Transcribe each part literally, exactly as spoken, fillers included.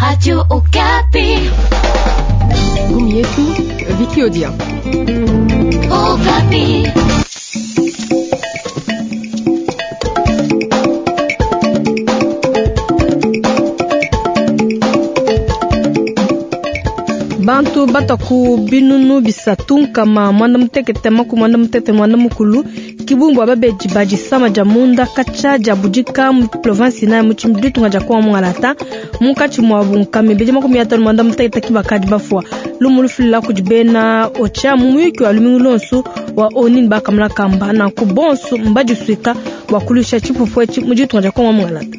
Radio Okapi. Gumi yetu Vicky Odia. Okapi. Bantu bataku binunu bisatu nkama mwanda mutekete makumi mwanda mutekete mwanda mukulu kibumbu ababeji badisama dia munda katshia dia budika mu province inayi mu ditunga dia Kongo mungalata munkatshi muabu nkama ibidi makumi atanu mwanda mutekete ki bakadi bafua lumu lufilila kudi bena OCHA mu muyuki wa lumingu lonsu wa ONU ne bakamuna kamba nanku bonso mbadisuika bua kuluisha tshipupu etshi mu ditunga dia Kongo mungalata.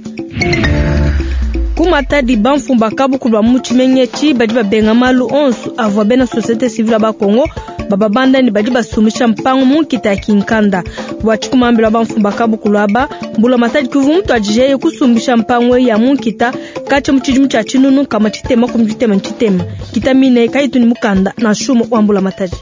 Ku Matadi bamfumu ba kabukulu ba mu tshimenga etshi badi babenga malu onso avua bena société civile ba Congo bababanda ne badi basumbisha mpangu mu nkita ya Kinkanda. Bua tshikumambila bamfumu ba kabukulu aba mbula Matadi kivu mutuadijeye kusumbisha mpangu ya mu nkita katshia mu tshidimu tshia tshinunu nkama tshitema kumi tshitema tshitema kita mine kayitu ne mukanda na nshumu wa mbula Matadi.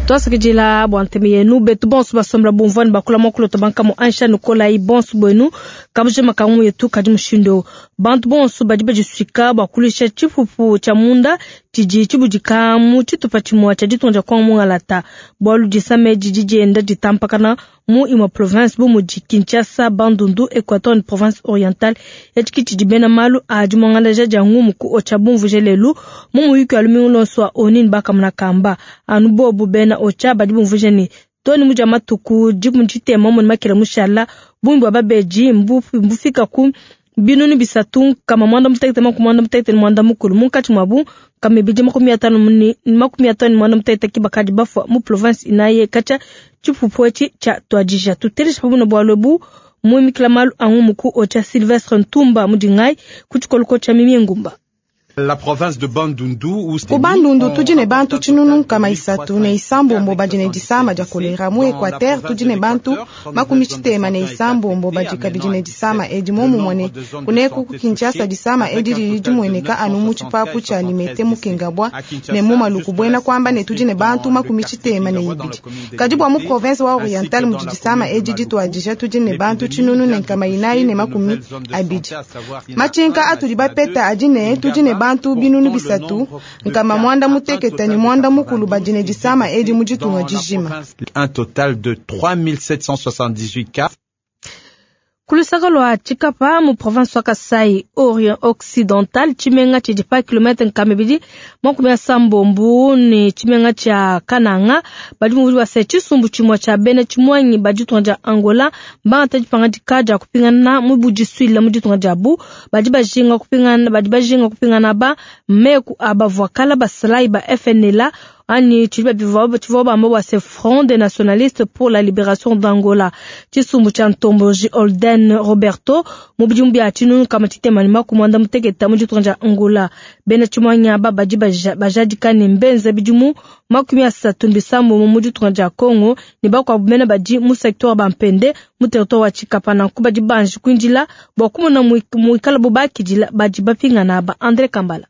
Twasakidila bua ntema yenu betu bonso basombela bumvua ne bakula mwakulota bankamu ansha nukolayi bonso bwenu kabuja makangu yetu kadi mushindo bantu bonso badi badisuika bua kuluisha tshipupu tshia munda tshidi tshibudika mu tshitupa tshimue tshia ditunga dia Kongo mungalata bualu disama didi dienda ditampakana mu imue province bu mudi Kinshasa, Bandundu, Equateur ne province orientale. Etshi tshidi bena malu a dimuangalaja dia ngumu ku OCHA bumvuje lelu mu muyuki wa lumingu lonso wa ONU ne bakamuna kamba anu bobu bena OCHA badi bumvuje ne toni mudia matuku dikumi tshitema mu makela mushala bungi bwa babeji mbufika ku binunu bisatu kama mwanda mutekete makumi mwanda mutekete ne mwanda mukulu munkatshi muabu kama ibidi makumi atanu muni makumi atanu ne mwanda mutekete ki bakadi bafua mu province inaye katshia tshipupu etshi tshia tuadija. Tutelesha pamue bualu ebu muimikila malu a ngumu ku OCHA Sylvestre Ntumba mudingai ku tshikoloko tshia Mimie Ngumba. La province de Bandundu ku Bandundu tudi ne bantu tshinunu nkama isatu ne isambombo badi ne disama dia kolera. Mu Equateur tudi ne bantu makumi tshitema ne isambombo badi kabidi ne disama edi momumue ne kuneku ku Kinshasa disama edi didi dimueneka anu mu tshipapu tshia Limete mu Kingabwa ne mu Maluku buena kuamba ne tudi ne bantu makumi tshitema ne ibidi. Kadi bua mu province wa Oriental mudi disama edi dituadija tudi ne bantu tshinunu ne nkama inayi ne makumi abidi. Matshinka atudi bapeta adi ne tudi ne bantu binunu bisatu nkama mwanda mutekete ne mwanda mukulu badi ne disama edi mu ditunga dijima. Un total de trois mille sept cent soixante-dix-huit cas. Kulusaka lwa Tshikapa mu province wa Kasai Orient Occidental tshimenga tshidi pa kilomètre nkama ibidi makumi asambombo ne tshimenga tshia Kananga badi muvudi wa se tshisumbu tshimue tshia bena tshimuangi ba ditunga dia Angola mbangata dipangadika dia kupingana mu budisuile mu ditunga diabu badi bajinga kupingana badi bajinga kupingana ba meku abavua kala basalayi ba F N L A ani tshidi bivua tshivua bamba bua se Front des Nationalistes pour la Libération d'Angola. Tshisumbu tshia Ntomboji Holden Roberto mu bidimu bia tshinunu kama tshitema ne makumi muanda mutekete mu ditunga dia Angola. Bena tshimuangi aba badi bajadika ne mbenza bidimu makumi asatu ne bisambombo mu ditunga dia Congo ne bakuabu bena badi mu secteur wa Bampende mu territoire wa Tshikapa nanku badi banji kuindila bua kumona muikala bo bakidila badi bapingana aba. Andre Kambala.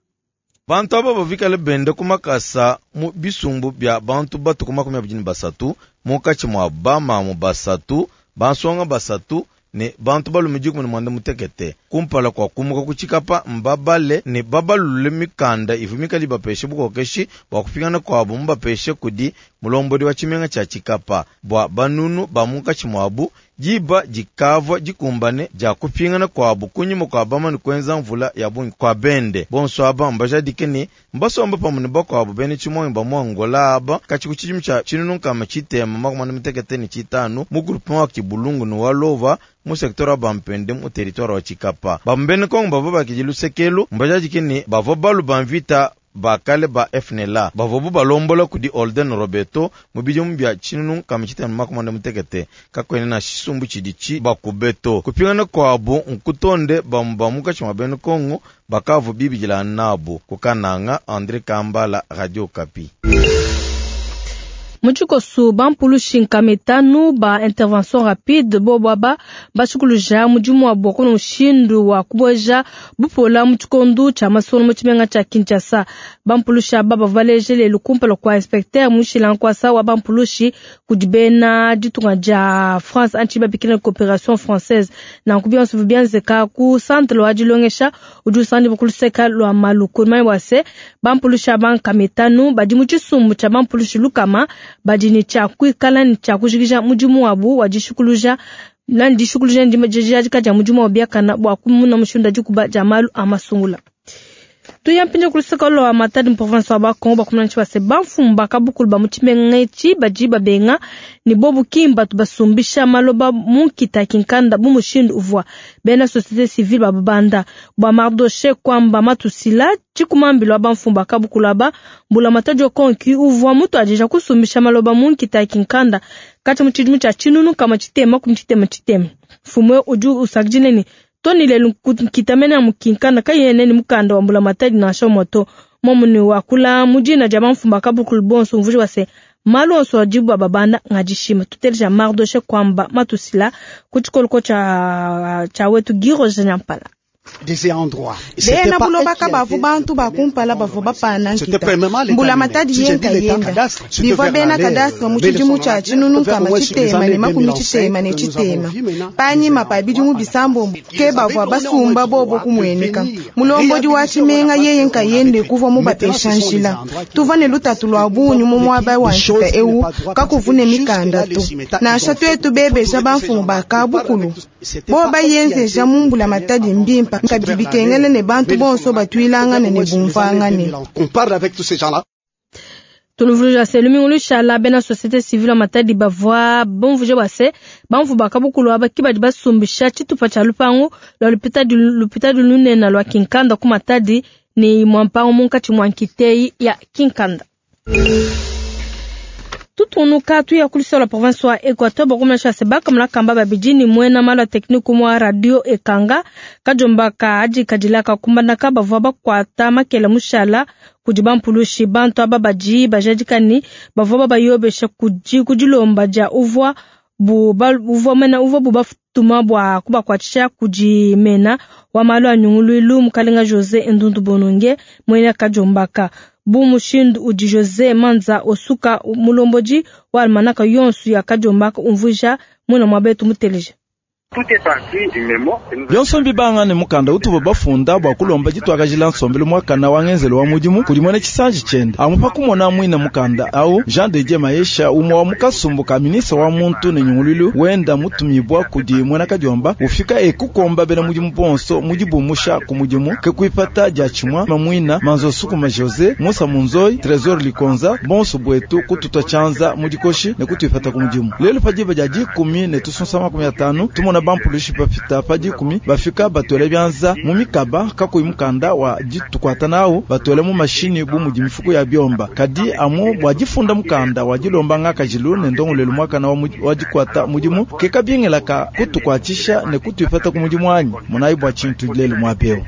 Bantu aba bavikale bende ku makasa mu bisumbu bia bantu batuku makumi abidi ne basatu munkatshi mua bamamu basatu bansonga basatu ne bantu balume dikumi ne muanda mutekete kumpala kua kumuka ku Tshikapa mbabale ne babalule mikanda ivua mikale ibapeshe bukokeshi bua kupingana kuabu mubapeshe kudi mulombodi wa tshimenga tshia Tshikapa bua banunu ba munkatshi muabu diba dikavua dikumbane dia kupingana kuabu kunyima kua bamane kuenza mvula ya bungi kua bende. Bonso aba mbajadike ne mbasomba pamue ne bakuabu bena tshimuangi ba mu Angola aba katshi ku tshidimu tshia tshinunu nkama tshitema makumi muanda mutekete ne tshitanu mu groupement wa Kibulungu ne wa Lova mu secteur wa Bampende mu territoire wa Tshikapa. Bambene Kongo bavua bakidi lusekelu mbajadike ne bavua balu ba mvita bakale ba F N L A bavua bu balombola kudi Holden Roberto mu bidimu bia tshinunu nkama tshitema makumi muanda mutekete kakuena na tshisumbu tshidi tshi bakubeto kupingana kuabu nkutonde bamu ba munkatshi mua bena Kongo bakavu bibidila nabu ku Kananga. Andre Kambala, Radio Okapi. Mu tshikosu bampulushi nkama itanu ba intervention rapide bobo aba bashikuluja mudimu wabo kuno mushindu wa kuboja bupola mu tshikondu tshia masono mu tshimenga tshia Kinshasa. Bampulushi aba bavua baleje lelu kumpala kua inspecteur mushila nkwasa wa bampulushi kudi bena ditunga dia France anti babikila coopération française. Nanku bionso bienzeka ku centre wa dilongesha udi usanganyibwa ku luseka lwa Maluku. Manya bua se bampulushi aba nkama itanu badi mu tshisumbu tshia bampulushi lukama badi ne tshia kuikala ne tshia kujikija mudimu wabu wa dishikuluja nani dishikuluja dijadika dia mudimu wa biakana bua kumuna mushindu dikuba dia malu a masungula. Tuya mpindieu ku luseka lwa Matadi mu province wa Bakongo. Bakumuna tshi base bamfumu bakabukulu ba mu tshimenga etshi badi babenga ne bobu kimba basumbisha maloba mu nkita kinkanda bu mushindu uvua bena société civile babanda bua Mardoshe kwamba matusila tshikumambilo wa bamfumu bakabukulu aba. Mbula Matadi okonki uvua mutu adija kusumbisha maloba mu nkita kinkanda kati mu tshidimu tshia tshinunu kama tshitema kumi tshitema tshitema. Mfumu udi usakidile ne toni lelu nkita mene mu kinkanda kayene ni mukanda wa mbula matadi nansha moto momuni wakula mujina dia bamfumu bakabukulu bonso mvuji wase malu onso adibu babanda ngadishima. Tuteleja Mardoshe kwamba matusila ku tshikoloko tshia tshia wetu Giro Nyampala. Bena buloba kabavu bantu bakumpala bavua bapana nkita mbula matadi yenka yenda bivua bena cadastre mu tshidimu tshia tshinunu nkama tshitema ne makumi tshitema ne tshitema. Panyima pa bidimu bisambombo ke bavua basumba bobo kumueneka mulombodi wa tshimenga yeye nkayende kuvua mubapesha njila. Tuvua ne lutatu lua bungi mu muaba wa nkita ewu kakuvune mikanda to nansha twetu bebeja bamfumu bakabukulu bo bayenzeja mu mbula matadi mbimpa kabidi bikengele ne bantu bonso batwilangane ne bumvangane. Tunuvuluja se lumingu lushala bena société civile Matadi bavua bumvuje bua se bamvu bakabukulu aba ki badi basumbisha tshitupa tshia lupangu lua lupitadi lupitadi lunene lua Kinkanda ku Matadi ni mwampangu munkatshi mwa nkiteyi ya Kinkanda. Tutunuka tuya kulisela la province wa Equateur bakumesha se bakamula kamba babidi ni mwena malu ya technique mwa radio ekanga kajomba ka adi kadilaka kumbandaka bavua bakwata makela mushala kudi bampulushi. Bantu aba badi bajadikani bavua babayobesha kudi kudilomba dia uvua bu uvua mena uvua bu batuma bua kubakwatisha kudi mena wa malu a nyunguluilu mukalenga Jose Ndundu Bononge mwena kajombaka bu mushindu udi Jose Manza osuka mulombodi wa almanaka yonsu ya kajombaka umvuja mwena mwabetu muteleja. Byonso mbibanga ne mukanda utuva bafunda bua kulomba ditwakajila nsombelu mwakana wa ngenzelo wa mudimu kudi mwene tshisanji tshiende amu pa kumona mwina mukanda au Jean de Dieu Maesha umwe wa mukasumbu ka ministre wa muntu ne nyunguluilu wenda mutumibwa kudi mwena kadiomba ufika ekukomba bena mudimu bonso mudibumusha ku mudimu ke kuipata dia tshimwa mamwina manzo sukuma Jose Musa Munzoi Trésor Likonza bonso bwetu kututwa tshianza mudikoshi ne kutuipata ku mudimu lelo padiba dia dikumi ne tusunsa makumi atanu tumona bampulushi bafita pa dikumi bafika batwele byanza mu mikaba kakuyi mukanda wa ditukwata nawu batwele mu mashini bu mudi mifuku ya byomba kadi amu bua difunda mukanda wa dilomba ngakajilu ne ndongolelu mwakana wa, wa dikwata mudimu ke kabingelaka kutukwatisha ne kutuipata ku mudimu anyi munayi bua tshintu lelu mwabeo.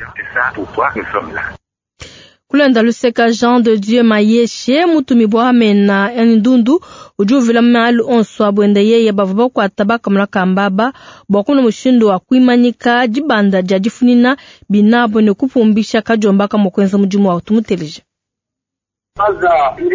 Kulenda luseka Jean de Dieu Mayeshe mutumibwa amena ndundu udi uvila malu onso abwenda yeye bavua bakwata bakamula kambaba bua kuna mushindu wa kuimanyika dibanda dia difunina binabo ne kupumbisha kajombaka mukwenza mudimu wa tumuteleja.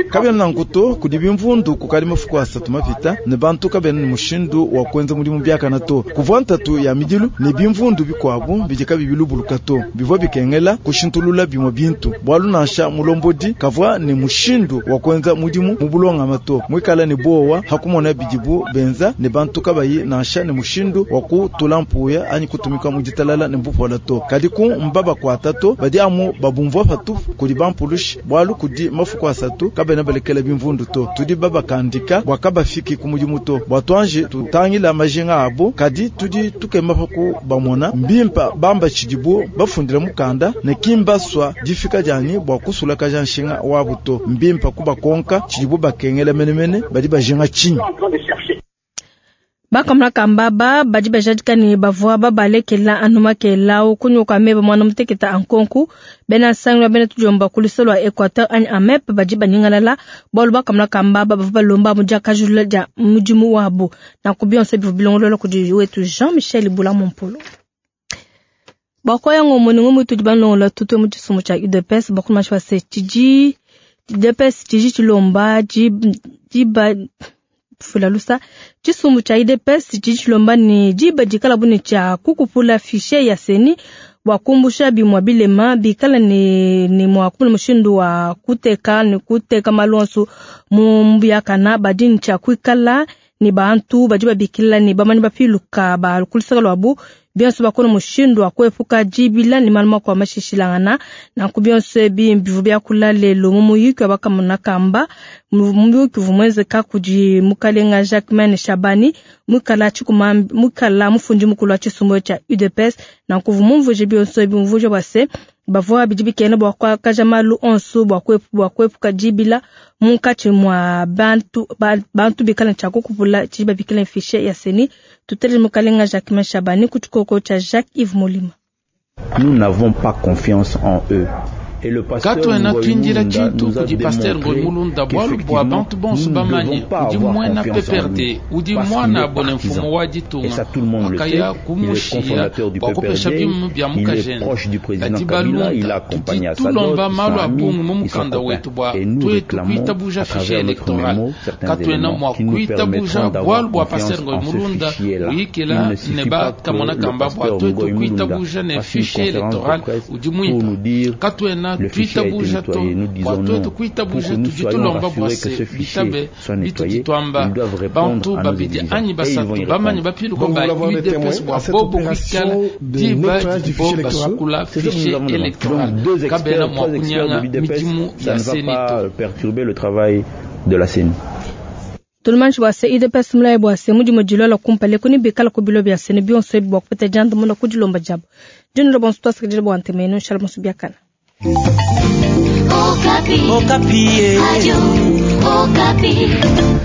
Kabena nankuto kudi bimvundu kukali mafuku asatu mapita ne bantu kabena ne mushindu wa kuenza mudimu biakana to kuvua ntatu ya midilu ne bimvundu bikuabu bidi kabi bilubuluka to bivua bikengela kushintulula bimue bintu bualu nansha mulombodi kavua ne mushindu wa kuenza mudimu mu bulongama to muikala ne bowa hakumona bidibu benza ne bantu kabayi nansha ne mushindu wa kutula mpuya anyi kutumika mu ditalala ne mbupola to kadi ku mbabakwata to badi amu babumvua patupu kudi bampulushi bualu kudi mafuku asatu kabena balekela bimvundu to tudi babakandika bua kabafiki ku mudimu to bua tuanji tutangila majinga abo kadi tudi tukema paku bamona mbimpa bamba tshidibu bafundila mukanda ne kimbaswa difika dianyi bua kusulakaja nshinga wabu to mbimpa kubakonka tshidibu bakengela menemene badi bajinga tshinyi. Bakamona kambaba badi bajadika ne bavua babalekela anu makelau kunyuka meba mwana muteketa ankonku bena nsangi bena tujomba kulisa lwa Equateur anyi AMEP badi banyingalala bwalu bakamona kambaba bavua balomba mu diakajulula dia mudimu wabu na kubionso bivu bilongolola kudi wetu Jean-Michel Bula Mompolo. Bakoya ngomo ni ngomo tudi banlongola tutwe mu tshisumbu tshia U D P S bakuma shwa se tshidi U D P S tshidi tshilomba diba fulalusa tshisumbu tshia U D P S tshidi tshilomba ni diba dikala bune tshia kukupula fichier ya seni bwa kumbusha bimwa bilema bikala ni ni mwa kumuna mushindu wa kuteka ni kuteka malonso mu mbuyakana badini tshia kuikala ni bantu badi babikila ni bamani bapiluka ba kulisaka lwabu bionso bakona mushindu wa kuepuka jibila ni maluma kwa mashishilangana na kubionso bimbivu bya kula lelo mu muyiki bakamona kamba muyiki vumweze kakudi mukalenga Jacquemaine Shabani mukala chikuma mukala mufundi mukulu wa tshisumbu tshia U D P S na kuvumumvuje bionso bimvuje bwase bavua bidi bikene bwa kwa kajamalu onso bwa kwepu bwa kwepuka jibila munkatshi mwa bantu bantu bikala tshia kukupula tshiba bikala fichier ya seni tutele mukalenga Jacquemaine Shabani kuchikoko cha Jacques Yves Molima. Nous n'avons pas confiance en eux. Katwena twindila tshintu kudi pasteur Ngoy Mulunda bwalu bwa bantu bonso bamanye udi mwana P P R D udi mwana abone mfumu wa ditunga akaya kumushiya bwa kupesha bimu bya mukajene kadi balunda tudi tulomba malu a bungi mu mukanda wetu bwa twetu kuitabuja fichier électoral katwena mwa kuitabuja bwalu bwa pasteur Ngoy Mulunda uyikila ne bakamona kamba bwa twetu kuitabuja ne fichier électoral udi muimpa katwena Le fichier a été nettoyé. Nous disons non. Pour que nous soyons rassurés que ce fichier soit nettoyé, ils doivent répondre à nos exigences. Et ils vont y répondre. Donc vous voulez avoir des témoins à cette opération de nettoyage du fichier électoral? C'est ce que nous avons demandé. Donc deux experts, trois experts de l'U D P S, ça ne va pas perturber le travail de la C E N I. Tulumanshi bwa se U D P S mulaye bwa se mudi mudilola kumpale kuni bikala kubilo bya sene bionso bwa kupeta janda muna kudilomba jabo. Jino bonso twasakidile bwa ntemeno shalom subiakana. Okapi. Okapi. Radio Okapi.